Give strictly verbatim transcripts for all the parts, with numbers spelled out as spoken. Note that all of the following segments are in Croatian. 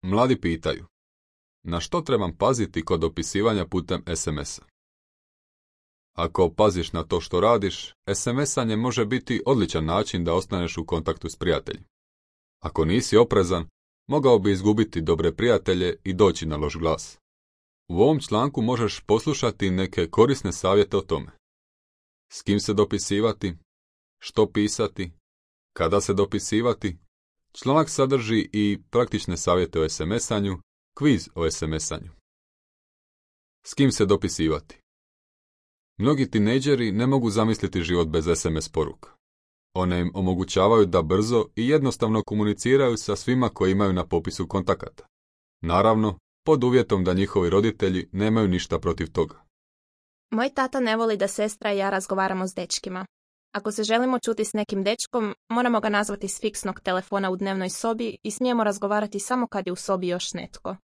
Mladi pitaju, na što trebam paziti kod dopisivanja putem es em es-a? Ako paziš na to što radiš, es em es-anje može biti odličan način da ostaneš u kontaktu s prijateljem. Ako nisi oprezan, mogao bi izgubiti dobre prijatelje i doći na loš glas. U ovom članku možeš poslušati neke korisne savjete o tome. S kim se dopisivati, što pisati, kada se dopisivati. Članak sadrži i praktične savjete o es em es-anju, kviz o es em es-anju. S kim se dopisivati? Mnogi tinejdžeri ne mogu zamisliti život bez es em es poruka. One im omogućavaju da brzo i jednostavno komuniciraju sa svima koji imaju na popisu kontakata. Naravno, pod uvjetom da njihovi roditelji nemaju ništa protiv toga. Moj tata ne voli da sestra i ja razgovaramo s dečkima. Ako se želimo čuti s nekim dečkom, moramo ga nazvati s fiksnog telefona u dnevnoj sobi i smijemo razgovarati samo kad je u sobi još netko.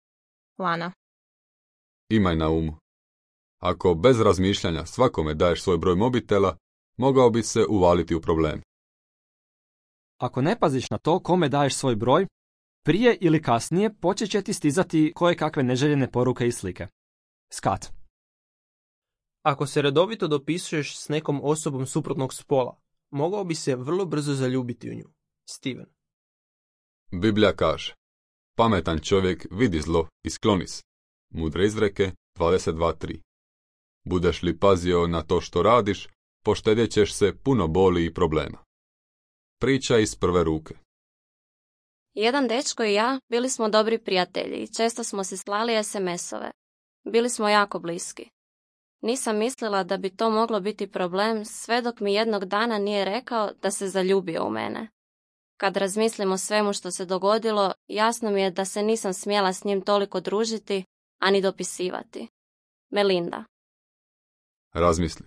Lana. Imaj na umu. Ako bez razmišljanja svakome daješ svoj broj mobitela, mogao bi se uvaliti u problem. Ako ne paziš na to kome daješ svoj broj, prije ili kasnije počet će ti stizati koje kakve neželjene poruke i slike. Skat. Ako se redovito dopisuješ s nekom osobom suprotnog spola, mogao bi se vrlo brzo zaljubiti u nju. Steven. Biblija kaže, pametan čovjek vidi zlo i skloni se. Mudre izreke dvadeset dva tri. Budeš li pazio na to što radiš, poštedjet ćeš se puno boli i problema. Priča iz prve ruke. Jedan dečko i ja bili smo dobri prijatelji i često smo si slali es em es-ove. Bili smo jako bliski. Nisam mislila da bi to moglo biti problem sve dok mi jednog dana nije rekao da se zaljubio u mene. Kad razmislim o svemu što se dogodilo, jasno mi je da se nisam smjela s njim toliko družiti, ani dopisivati. Melinda. Razmisli.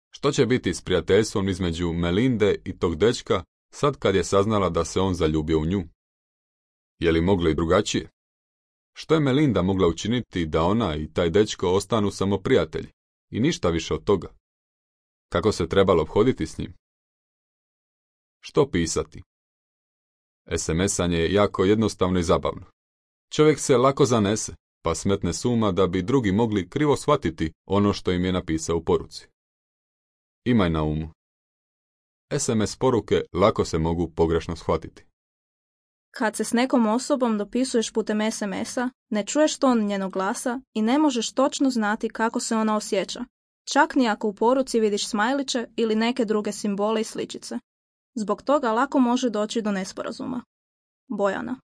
Što će biti s prijateljstvom između Melinde i tog dečka sad kad je saznala da se on zaljubio u nju? Je li moglo i drugačije? Što je Melinda mogla učiniti da ona i taj dečko ostanu samo prijatelji i ništa više od toga? Kako se trebalo obhoditi s njim? Što pisati? es em es-anje je jako jednostavno i zabavno. Čovjek se lako zanese, pa smetne s uma da bi drugi mogli krivo shvatiti ono što im je napisao u poruci. Imaj na umu. es em es poruke lako se mogu pogrešno shvatiti. Kad se s nekom osobom dopisuješ putem es em es-a, ne čuješ ton njenog glasa i ne možeš točno znati kako se ona osjeća, čak ni ako u poruci vidiš smajliće ili neke druge simbole i sličice. Zbog toga lako može doći do nesporazuma. Bojana.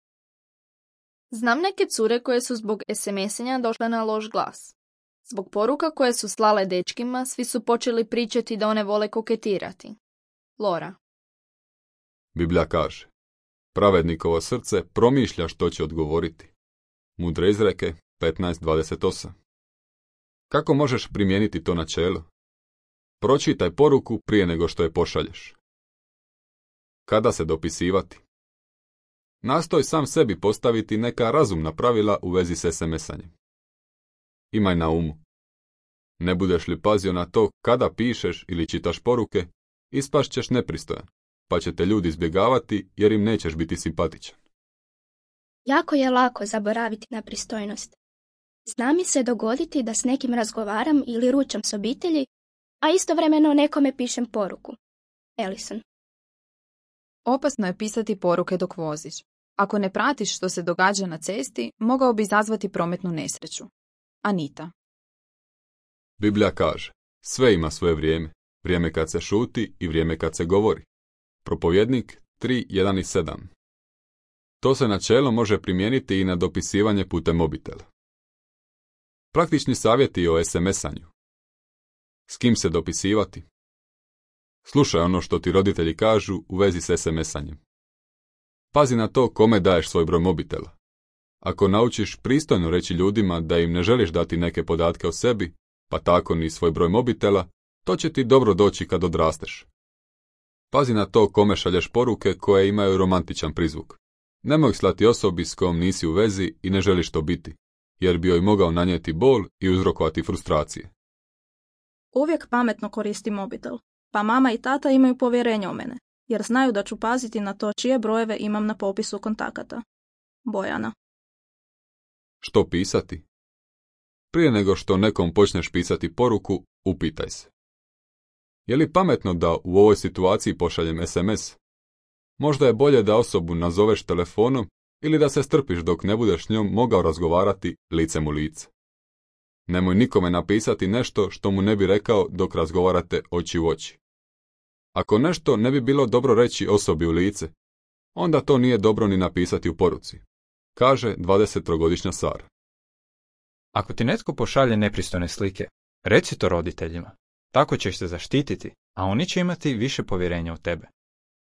Znam neke cure koje su zbog es em es-anja došle na loš glas. Zbog poruka koje su slale dečkima, svi su počeli pričati da one vole koketirati. Lora. Biblija kaže, pravednikovo srce promišlja što će odgovoriti. Mudre izreke petnaest dvadeset osam. Kako možeš primijeniti to načelo? Pročitaj poruku prije nego što je pošalješ. Kada se dopisivati? Nastoj sam sebi postaviti neka razumna pravila u vezi s es em es-anjem. Imaj na umu. Ne budeš li pazio na to kada pišeš ili čitaš poruke, ispašt ćeš nepristojan, pa će te ljudi izbjegavati jer im nećeš biti simpatičan. Jako je lako zaboraviti na pristojnost. Zna mi se dogoditi da s nekim razgovaram ili ručam s obitelji, a istovremeno nekome pišem poruku. Ellison. Opasno je pisati poruke dok voziš. Ako ne pratiš što se događa na cesti, mogao bi izazvati prometnu nesreću. Anita. Biblija kaže, sve ima svoje vrijeme, vrijeme kad se šuti i vrijeme kad se govori. Propovjednik tri jedan i sedam. To se načelo može primijeniti i na dopisivanje putem mobitela. Praktični savjeti o es em es-anju. S kim se dopisivati? Slušaj ono što ti roditelji kažu u vezi s es em es-anjem. Pazi na to kome daješ svoj broj mobitela. Ako naučiš pristojno reći ljudima da im ne želiš dati neke podatke o sebi, pa tako ni svoj broj mobitela, to će ti dobro doći kad odrasteš. Pazi na to kome šalješ poruke koje imaju romantičan prizvuk. Nemoj ih slati osobi s kojom nisi u vezi i ne želiš to biti, jer bi joj mogao nanijeti bol i uzrokovati frustracije. Uvijek pametno koristim mobitel, pa mama i tata imaju povjerenje u mene, jer znaju da ću paziti na to čije brojeve imam na popisu kontakata. Bojana. Što pisati? Prije nego što nekom počneš pisati poruku, upitaj se. Je li pametno da u ovoj situaciji pošaljem es em es? Možda je bolje da osobu nazoveš telefonom ili da se strpiš dok ne budeš s njom mogao razgovarati licem u lice. Nemoj nikome napisati nešto što mu ne bi rekao dok razgovarate oči u oči. Ako nešto ne bi bilo dobro reći osobi u lice, onda to nije dobro ni napisati u poruci, kaže dvadesettrogodišnja Sara. Ako ti netko pošalje nepristojne slike, reci to roditeljima. Tako ćeš se zaštititi, a oni će imati više povjerenja u tebe.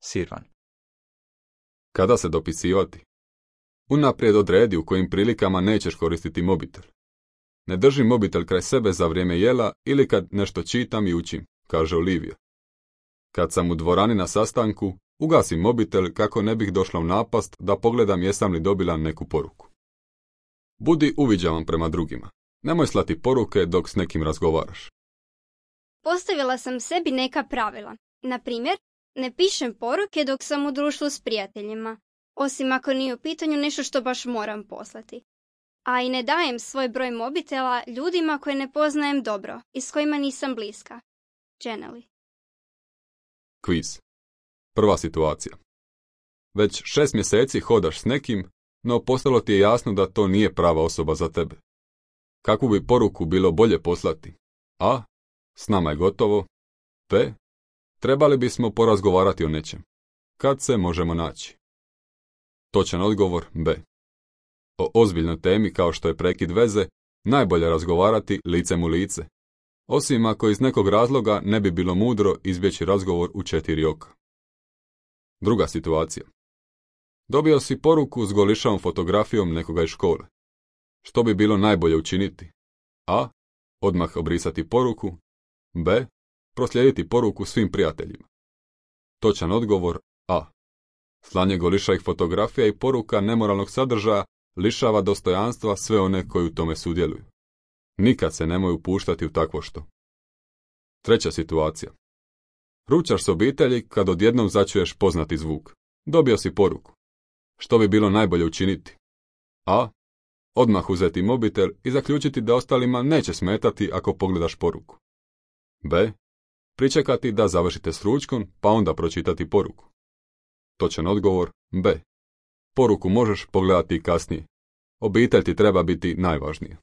Sirvan. Kada se dopisivati? Unaprijed odredi u kojim prilikama nećeš koristiti mobitel. Ne drži mobitel kraj sebe za vrijeme jela ili kad nešto čitam i učim, kaže Olivia. Kad sam u dvorani na sastanku, ugasim mobitel kako ne bih došla u napast da pogledam jesam li dobila neku poruku. Budi uviđavan prema drugima. Nemoj slati poruke dok s nekim razgovaraš. Postavila sam sebi neka pravila. Na primjer, ne pišem poruke dok sam u društvu s prijateljima, osim ako nije u pitanju nešto što baš moram poslati. A i ne dajem svoj broj mobitela ljudima koje ne poznajem dobro i s kojima nisam bliska. Jenny. Kviz. Prva situacija. Već šest mjeseci hodaš s nekim, no postalo ti je jasno da to nije prava osoba za tebe. Kakvu bi poruku bilo bolje poslati? A. S nama je gotovo. B. Trebali bismo porazgovarati o nečem. Kad se možemo naći? Točan odgovor B. O ozbiljnoj temi kao što je prekid veze, najbolje razgovarati licem u lice. Osim ako iz nekog razloga ne bi bilo mudro izbjeći razgovor u četiri oka. Druga situacija. Dobio si poruku s golišavom fotografijom nekoga iz škole. Što bi bilo najbolje učiniti? A. Odmah obrisati poruku. B. Proslijediti poruku svim prijateljima. Točan odgovor A. Slanje golišavih fotografija i poruka nemoralnog sadržaja lišava dostojanstva sve one koji u tome sudjeluju. Nikad se nemoj upuštati u takvo što. Treća situacija. Ručaš s obitelji kad odjednom začuješ poznati zvuk. Dobio si poruku. Što bi bilo najbolje učiniti? A. Odmah uzeti mobitel i zaključiti da ostalima neće smetati ako pogledaš poruku. B. Pričekati da završite s ručkom pa onda pročitati poruku. Točan odgovor B. Poruku možeš pogledati i kasnije. Obitelj ti treba biti najvažnija.